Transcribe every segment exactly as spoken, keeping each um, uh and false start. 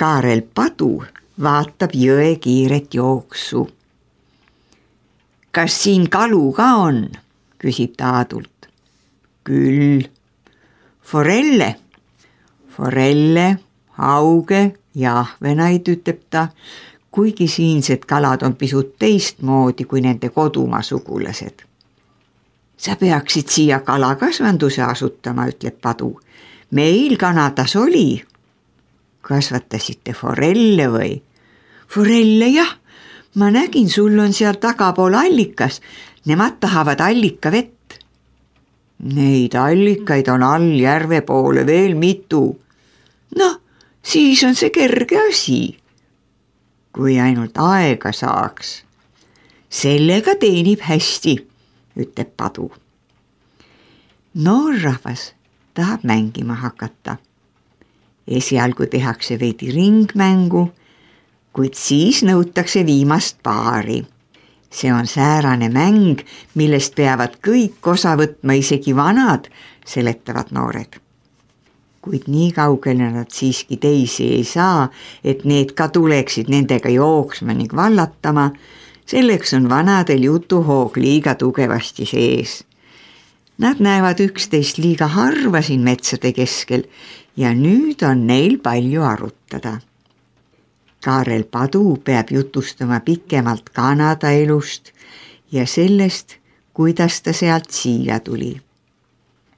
Kaarel Padu vaatab jõe kiiret jooksu. Kas siin kalu ka on? Küsib ta Aadult. Küll. Forelle. Forelle, hauge ja ahvenaid, ütleb ta, kuigi siinsed kalad on pisut teistmoodi kui nende kodumaa sugulased. Sa peaksid siia kalakasvanduse asutama, ütleb Padu. Meil Kanadas oli. Kasvatasite forelle või? Forelle, jah. Ma nägin, sul on seal tagapool allikas. Nemad tahavad allika vett. Neid allikaid on all järve poole veel mitu. Noh, siis on see kerge asi. Kui ainult aega saaks. Sellega teenib hästi, ütleb Padu. Noorrahvas tahab mängima hakata. Esialgu tehakse veidi ringmängu, kuid siis nõutakse viimast paari. See on säärane mäng, millest peavad kõik osa võtma, isegi vanad, seletavad noored. Kuid nii kaugele nad siiski teisi ei saa, et need ka tuleksid nendega jooksma ning vallatama, selleks on vanadel jutuhoog liiga tugevasti sees. Nad näevad üksteist liiga harva siin metsade keskel ja nüüd on neil palju arutada. Kaarel Padu peab jutustama pikemalt Kanada elust ja sellest, kuidas ta sealt siia tuli.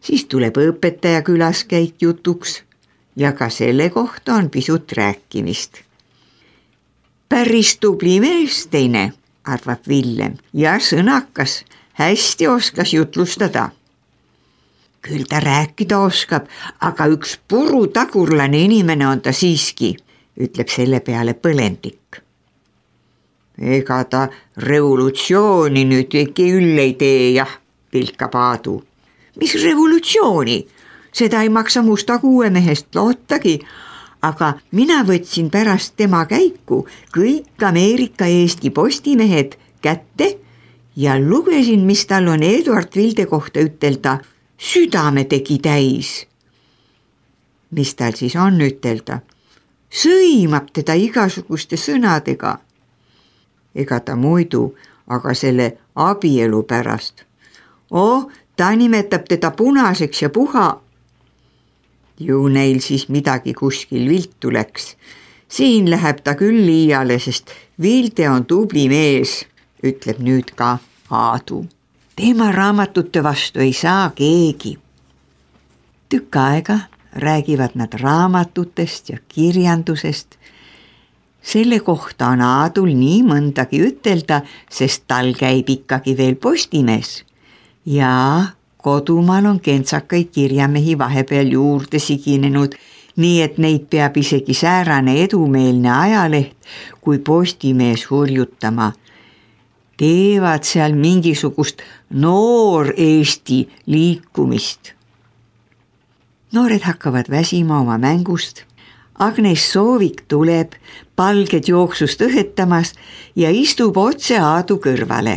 Siis tuleb õpetaja külaskäik jutuks ja ka selle kohta on pisut rääkimist. Päris tubli mees teine, arvab Villem, ja sõnakas, hästi oskas jutlustada. Küll ta rääkida oskab, aga üks purutagurlane inimene on ta siiski, ütleb selle peale Põlendik. Ega ta revolutsiooni nüüd küll ei tee, jah, pilkab Aadu. Mis revolutsiooni? Seda ei maksa musta kuuemehest lootagi, aga mina võtsin pärast tema käiku kõik Ameerika Eesti postimehed kätte ja lugesin, mis tal on Eduard Vilde kohta ütelda. Südame tegi täis. Mis tal siis on ütelda? Sõimab teda igasuguste sõnadega. Ega ta muidu, aga selle abielu pärast. Oh, ta nimetab teda punaseks ja puha. Ju neil siis midagi kuskil viltu läks. Siin läheb ta küll liiale, sest Vilde on tubli mees, ütleb nüüd ka Aadu. Tema raamatute vastu ei saa keegi. Tükk aega räägivad nad raamatutest ja kirjandusest. Selle kohta on Aadul nii mõndagi ütelda, sest tal käib ikkagi veel postimees. Ja kodumaal on kentsakaid kirjamehi vahepeal juurde siginenud, nii et neid peab isegi säärane edumeelne ajaleht, kui postimees hurjutama. Teevad seal mingisugust noor Eesti liikumist. Noored hakkavad väsima oma mängust. Agnes Soovik tuleb palged jooksust õhetamas ja istub otse Aadu kõrvale.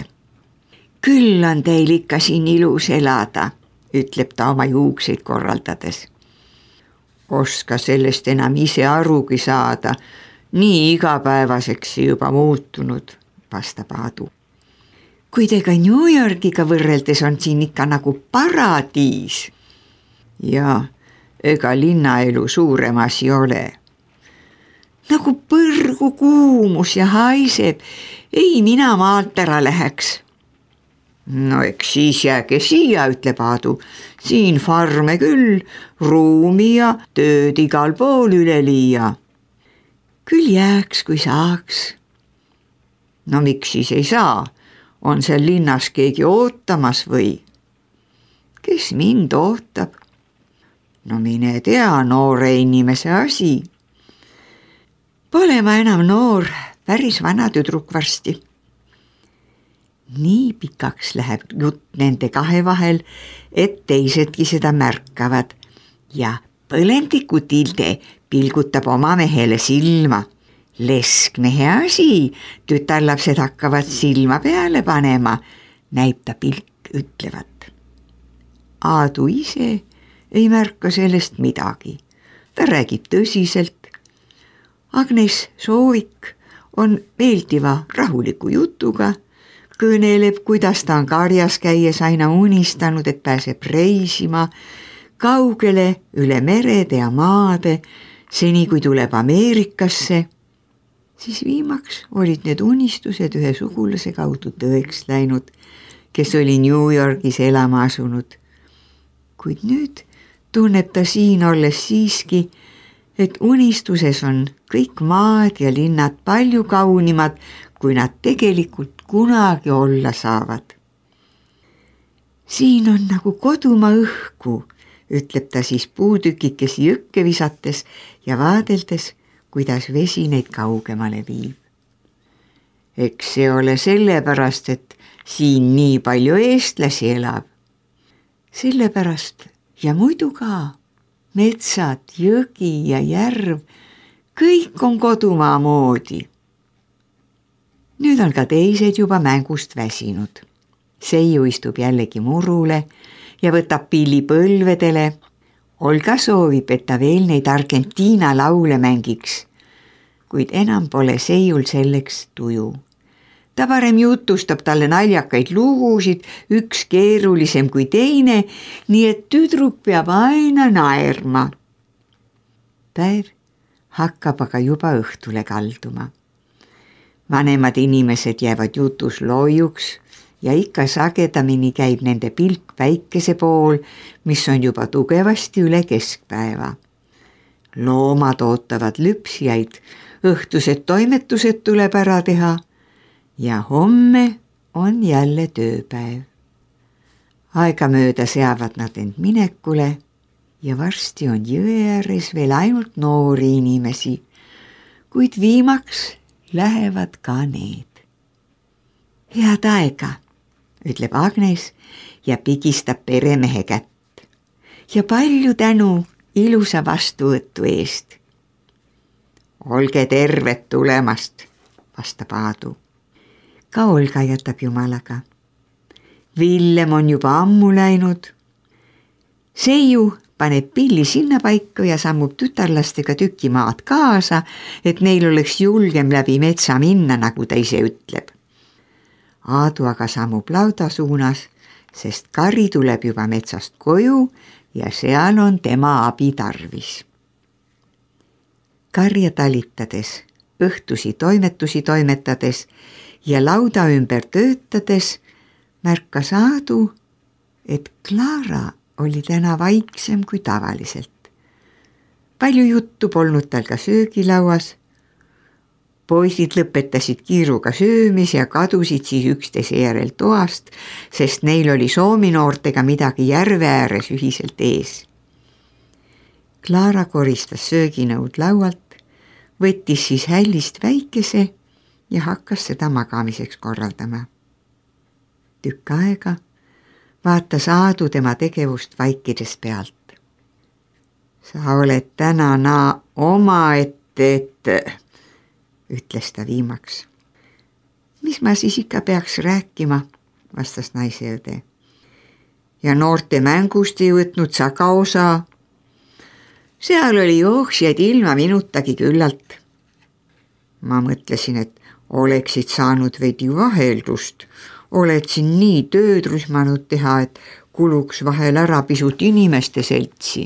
Küll on teil ikka siin ilus elada, ütleb ta oma juukseid korraldades. Oska sellest enam ise arugi saada, nii igapäevaseks juba muutunud, vastab Aadu. Kuid ega New Yorkiga võrreldes on siin ikka nagu paradiis. Ja ega linnaelu suurem asi ole. Nagu põrgu kuumus ja haiseb, ei mina maalt ära läheks. No eks siis jääge siia, ütleb Aadu. Siin farme küll, ruumi ja tööd igal pool üle liia. Küll jääks, kui saaks. No miks siis ei saa? On seal linnas keegi ootamas või? Kes mind ootab? No mine tea, noore inimese asi. Pole ma enam noor, päris vana tüdruk varsti. Nii pikaks läheb jutt nende kahe vahel, et teisedki seda märkavad ja Põlendiku Tilde pilgutab oma mehele silma. Leskmehe asi, tütarlapsed hakkavad silma peale panema, näib ta pilk ütlevat. Aadu ise ei märka sellest midagi. Ta räägib tõsiselt. Agnes Soovik on meeldiva rahuliku jutuga, kõneleb, kuidas ta on karjas käies aina unistanud, et pääseb reisima kaugele üle merede ja maade, seni kui tuleb Ameerikasse. Siis viimaks olid need unistused ühe sugulase kaudu tõeks läinud, kes oli New Yorgis elama asunud. Kuid nüüd tunneb ta siin olles siiski, et unistuses on kõik maad ja linnad palju kaunimad, kui nad tegelikult kunagi olla saavad. Siin on nagu kodumaa õhku, ütleb ta siis puutükikesi jõkke visates ja vaadeldes, kuidas vesi neid kaugemale viib. Eks see ole sellepärast, et siin nii palju eestlasi elab. Sellepärast ja muidu ka metsad, jõgi ja järv, kõik on kodumaa moodi. Nüüd on ka teised juba mängust väsinud. Seiu istub jällegi murule ja võtab pilli põlvedele. Olga soovib, et ta veel neid Argentiina laule mängiks, kuid enam pole Seiul selleks tuju. Ta parem jutustab talle naljakaid lugusid, üks keerulisem kui teine, nii et tüdruk peab aina naerma. Päev hakkab aga juba õhtule kalduma. Vanemad inimesed jäävad jutus loiuks ja ikka sagedamini käib nende pilk päikese pool, mis on juba tugevasti üle keskpäeva. Loomad ootavad lüpsjaid, õhtused toimetused tuleb ära teha ja homme on jälle tööpäev. Aegamööda seavad nad end minekule ja varsti on jõe ääres veel ainult noori inimesi, kuid viimaks lähevad ka need. Head aega, ütleb Agnes ja pigistab peremehe kätt. Ja palju tänu ilusa vastuvõtu eest. Olge terved tulemast, vastab Aadu. Ka Olga jätab jumalaga. Villem on juba ammu läinud. Seiu paneb pilli sinna paika ja sammub tütarlastega tüki maad kaasa, et neil oleks julgem läbi metsa minna, nagu ta ise ütleb. Aadu aga sammub lauda suunas, sest Kari tuleb juba metsast koju ja seal on tema abi tarvis. Karja talitades, õhtusi toimetusi toimetades ja lauda ümber töötades märkas Aadu, et Klaara oli täna vaiksem kui tavaliselt. Palju juttu polnud tal ka söögilauas. Poisid lõpetasid kiiruga söömis ja kadusid siis üksteise järel toast, sest neil oli soominoortega midagi järve ääres ühiselt ees. Klaara koristas sööginõud laualt, võttis siis hällist väikese ja hakkas seda magamiseks korraldama. Tükk aega vaatas Aadu tema tegevust vaikides pealt. Sa oled täna naa omaette, et, ütles ta viimaks. Mis ma siis ikka peaks rääkima, vastas naiseõde. Ja noorte mängust ei võtnud sa ka osa. Seal oli jooksjaid ilma minutagi küllalt. Ma mõtlesin, et oleksid saanud veidi vaheldust. Oled siin nii tööd rühmanud teha, et kuluks vahel ära pisut inimeste seltsi.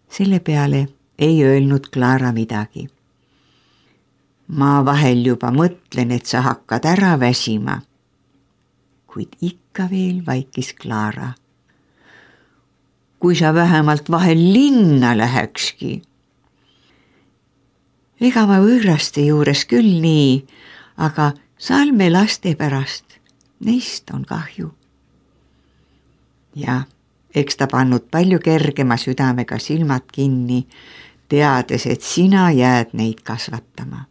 Selle peale ei öelnud Klaara midagi. Ma vahel juba mõtlen, et sa hakkad ära väsima. Kuid ikka veel vaikis Klaara. Kui sa vähemalt vahel linna lähekski. Ega ma võõraste juures küll nii, aga Salme laste pärast, neist on kahju. Ja eks ta pannud palju kergema südamega silmad kinni, teades, et sina jääd neid kasvatama.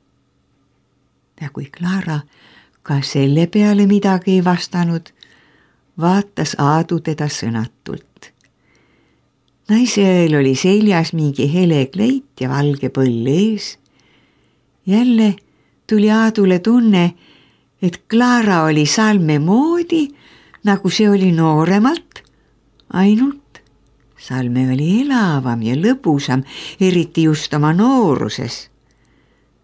Ja kui Klaara ka selle peale midagi ei vastanud, vaatas Aadu teda sõnatult. Naiseel oli seljas mingi hele kleit ja valge põll ees. Jälle tuli Aadule tunne, et Klaara oli Salme moodi, nagu see oli nooremalt, ainult Salme oli elavam ja lõbusam, eriti just oma nooruses.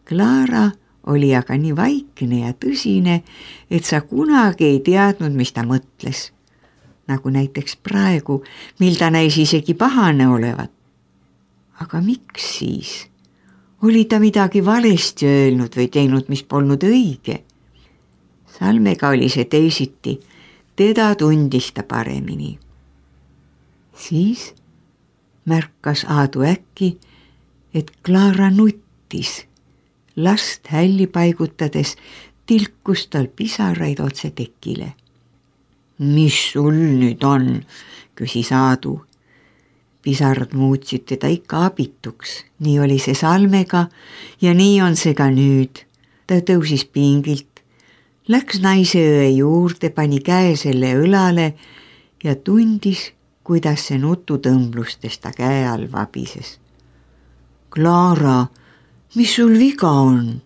Klaara oli aga nii vaikne ja tõsine, et sa kunagi ei teadnud, mis ta mõtles. Nagu näiteks praegu, mil ta näis isegi pahane olevat. Aga miks siis? Oli ta midagi valesti öelnud või teinud, mis polnud õige? Salmega oli see teisiti, teda tundis ta paremini. Siis märkas Aadu äkki, et Klaara nuttis. Last hälli paigutades tilkus tal pisaraid otse tekile. Mis sul nüüd on, küsis Aadu. Pisarad muutsid teda ikka abituks, nii oli see Salmega ja nii on see ka nüüd. Ta tõusis pingilt, läks naise õe juurde, pani käe selle õlale ja tundis, kuidas see nututõmblustest ta käe all vabises. Klaara, mis sul viga on?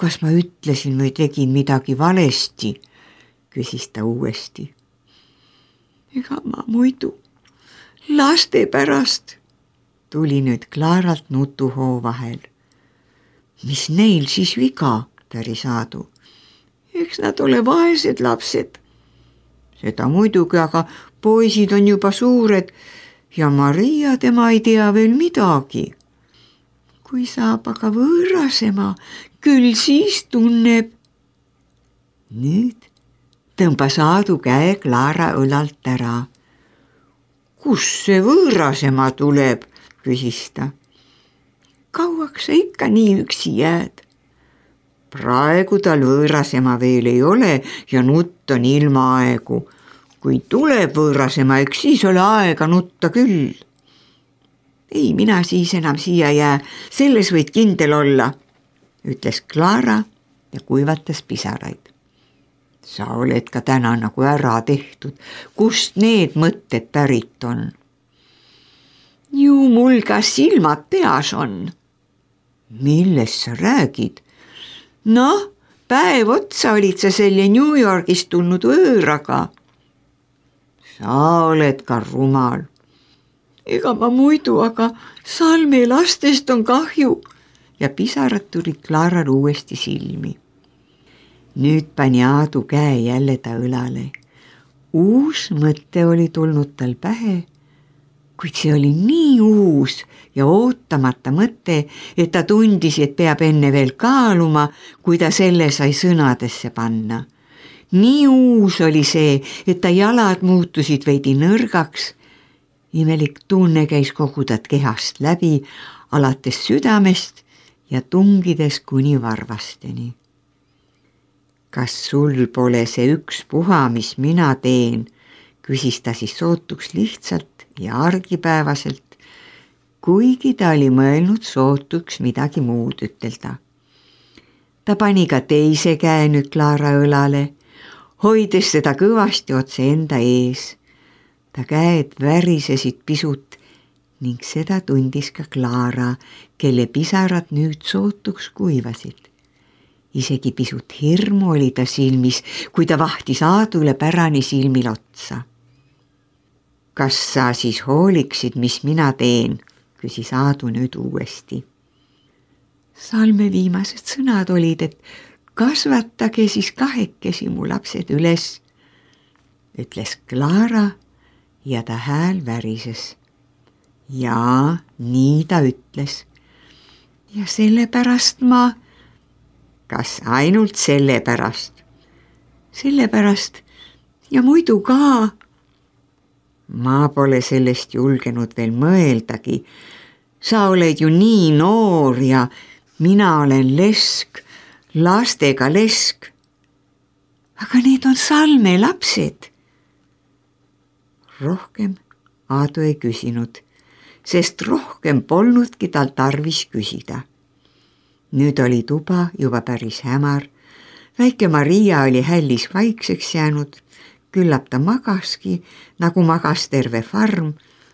Kas ma ütlesin või tegin midagi valesti? Küsis ta uuesti. Ega ma muidu laste pärast, tuli nüüd Klaaralt nutuhoo vahel. Mis neil siis viga, päris Aadu? Eks nad ole vaesed lapsed. Seda muidugi, aga poisid on juba suured ja Maria tema ei tea veel midagi. Kui saab aga võõrasema, küll siis tunneb. Nüüd tõmbas Aadu käe Klaara õlalt ära. Kus see võõrasema tuleb, küsis ta. Kauaks sa ikka nii üksi jääd? Praegu tal võõrasema veel ei ole ja nutt on ilmaaegu. Kui tuleb võõrasema, eks siis ole aega nutta küll. Ei, mina siis enam siia jää, selles võid kindel olla, ütles Klaara ja kuivatas pisaraid. Sa oled ka täna nagu ära tehtud, kust need mõtted pärit on? Ju mul ka silmad peas on. Millest sa räägid? Noh, päev otsa olid sa selle New Yorgist tulnud võõraga. Sa oled ka rumal. Ega ma muidu, aga Salme lastest on kahju ja pisarad tulid Klaaral uuesti silmi. Nüüd pani Aadu käe jälle ta õlale. Uus mõte oli tulnud tal pähe, kuid see oli nii uus ja ootamata mõte, et ta tundis, et peab enne veel kaaluma, kui ta selle sai sõnadesse panna. Nii uus oli see, et ta jalad muutusid veidi nõrgaks. Imelik tunne käis kogu ta kehast läbi, alates südamest ja tungides kuni varvasteni. Kas sul pole see üks puha, mis mina teen, küsis ta siis sootuks lihtsalt ja argipäevaselt, kuigi ta oli mõelnud sootuks midagi muud ütelda. Ta pani ka teise käe nüüd Klaara õlale, hoides seda kõvasti otse enda ees. Ta käed värisesid pisut ning seda tundis ka Klaara, kelle pisarad nüüd sootuks kuivasid. Isegi pisut hirmu oli ta silmis, kui ta vahtis Aadule pärani silmil otsa. Kas sa siis hooliksid, mis mina teen, küsis Aadu nüüd uuesti. Salme viimased sõnad olid, et kasvatage siis kahekesi mu lapsed üles, ütles Klaara ja ta hääl värises. Jaa, nii ta ütles. Ja sellepärast ma... Kas ainult sellepärast? Sellepärast ja muidu ka. Ma pole sellest julgenud veel mõeldagi. Sa oled ju nii noor ja mina olen lesk, lastega lesk. Aga need on Salme lapsed. Rohkem Aadu ei küsinud, sest rohkem polnudki tal tarvis küsida. Nüüd oli tuba juba päris hämar. Väike Maria oli hällis vaikseks jäänud, küllap ta magaski, nagu magas terve farm.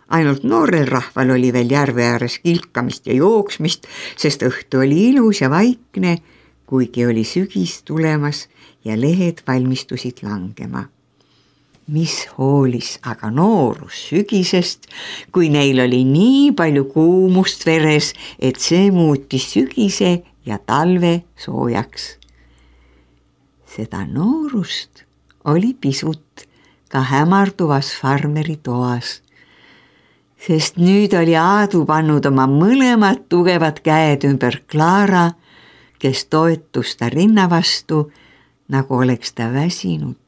Ainult noorel rahval oli veel järve ääres kilkamist ja jooksmist, sest õhtu oli ilus ja vaikne, kuigi oli sügis tulemas ja lehed valmistusid langema. mis hoolis aga noorus sügisest, kui neil oli nii palju kuumust veres, et see muutis sügise ja talve soojaks. Seda noorust oli pisut ka hämarduvas farmeri toas, sest nüüd oli Aadu pannud oma mõlemad tugevad käed ümber Klaara, kes toetus ta rinna vastu, nagu oleks ta väsinud.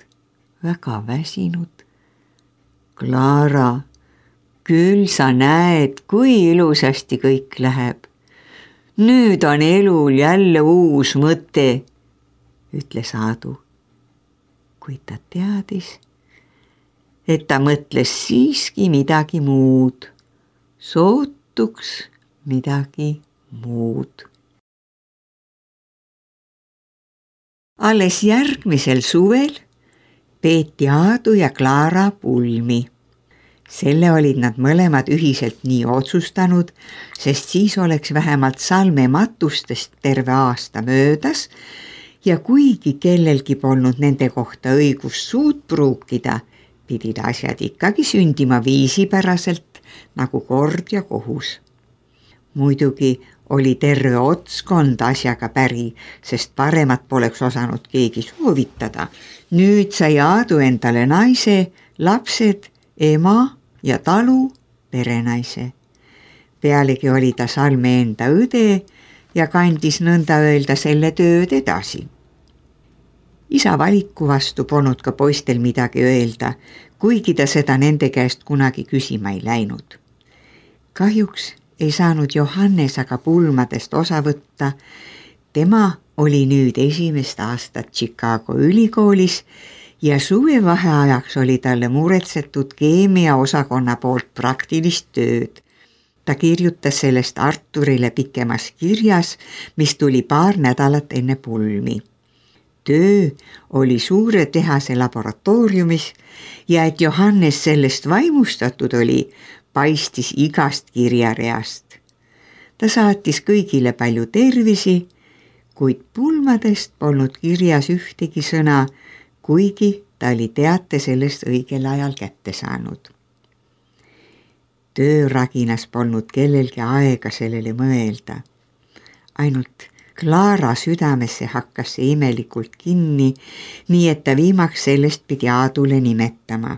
Väga väsinud. Klaara, küll sa näed, kui ilusasti kõik läheb. Nüüd on elul jälle uus mõte, ütles Aadu. Kuid ta teadis, et ta mõtles siiski midagi muud. Sootuks midagi muud. Alles järgmisel suvel peeti Aadu ja Klaara pulmi. Selle olid nad mõlemad ühiselt nii otsustanud, sest siis oleks vähemalt salme matustest terve aasta möödas ja kuigi kellelgi polnud nende kohta õigus suud pruukida, pidid asjad ikkagi sündima viisipäraselt nagu kord ja kohus. Muidugi oli terve otskond asjaga päri, sest paremat poleks osanud keegi soovitada. Nüüd sai Aadu endale naise, lapsed, ema ja talu perenaise. Pealegi oli ta salme enda õde ja kandis nõnda öelda selle tööd edasi. Isa valiku vastu polnud ka poistel midagi öelda, kuigi ta seda nende käest kunagi küsima ei läinud. Kahjuks ei saanud Johannes aga pulmadest osa võtta. Tema oli nüüd esimest aastat Chicago ülikoolis ja suvevaheajaks oli talle muretsetud keemia osakonna poolt praktilist tööd. Ta kirjutas sellest Arturile pikemas kirjas, mis tuli paar nädalat enne pulmi. Töö oli suure tehase laboratooriumis ja et Johannes sellest vaimustatud oli, paistis igast kirjareast. Ta saatis kõigile palju tervisi, kuid pulmadest polnud kirjas ühtegi sõna, kuigi ta oli teate sellest õigel ajal kätte saanud. Tööraginas polnud kellelgi aega sellele mõelda. Ainult Klaara südamesse hakkas see imelikult kinni, nii et ta viimaks sellest pidi Aadule nimetama.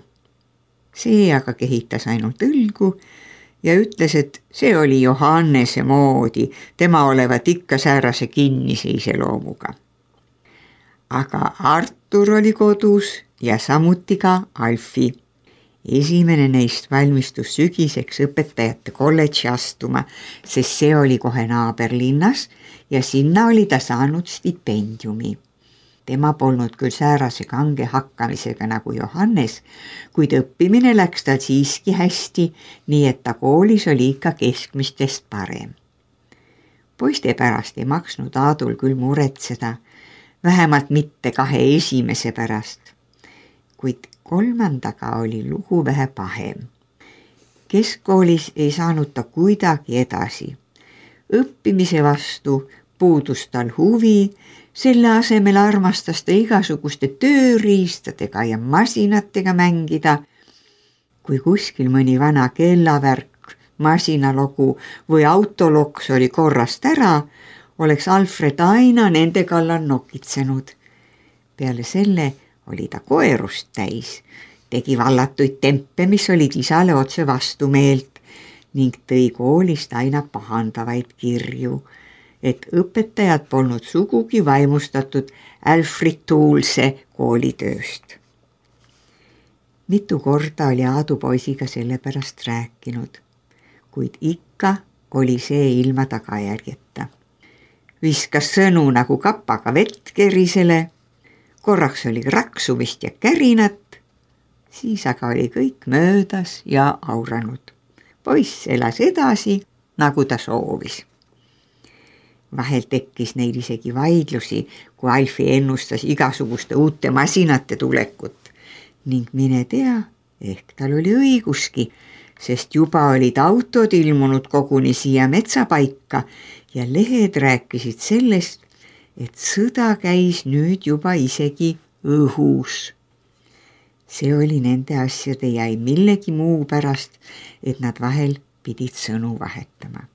See aga kehitas ainult õlgu ja ütles, et see oli Johannese moodi, tema olevat ikka säärase kinnise iseloomuga. Aga Artur oli kodus ja samuti ka Alfi. Esimene neist valmistus sügiseks õpetajate kolledži astuma, sest see oli kohe naaberlinnas ja sinna oli ta saanud stipendiumi. Tema polnud küll säärase kange hakkamisega nagu Johannes, kuid õppimine läks tal siiski hästi, nii et ta koolis oli ikka keskmistest parem. Poiste pärast ei maksnud Aadul küll muretseda, vähemalt mitte kahe esimese pärast, kuid kolmandaga oli lugu vähe pahem. Keskkoolis ei saanud ta kuidagi edasi. Õppimise vastu puudus tal huvi, selle asemel armastas ta igasuguste tööriistadega ja masinatega mängida. Kui kuskil mõni vana kellavärk, masinalogu või autoloks oli korrast ära, oleks Alfred aina nende kallal nokitsenud. Peale selle oli ta koerust täis, tegi vallatuid tempe, mis olid isale otse vastumeelt ning tõi koolist aina pahandavaid kirju, et õpetajad polnud sugugi vaimustatud Alfred Toolse koolitööst. Mitu korda oli Aadu poisiga selle pärast rääkinud, kuid ikka oli see ilma tagajärjeta. Viskas sõnu nagu kapaga vett kerisele, korraks oli raksumist ja kärinat, siis aga oli kõik möödas ja auranud. Poiss elas edasi, nagu ta soovis. Vahel tekkis neil isegi vaidlusi, kui Alfi ennustas igasuguste uute masinate tulekut ning mine tea, ehk tal oli õiguski, sest juba olid autod ilmunud koguni siia metsapaika ja lehed rääkisid sellest, et sõda käis nüüd juba isegi õhus. see oli nende asjade jäi millegi muu pärast, et nad vahel pidid sõnu vahetama.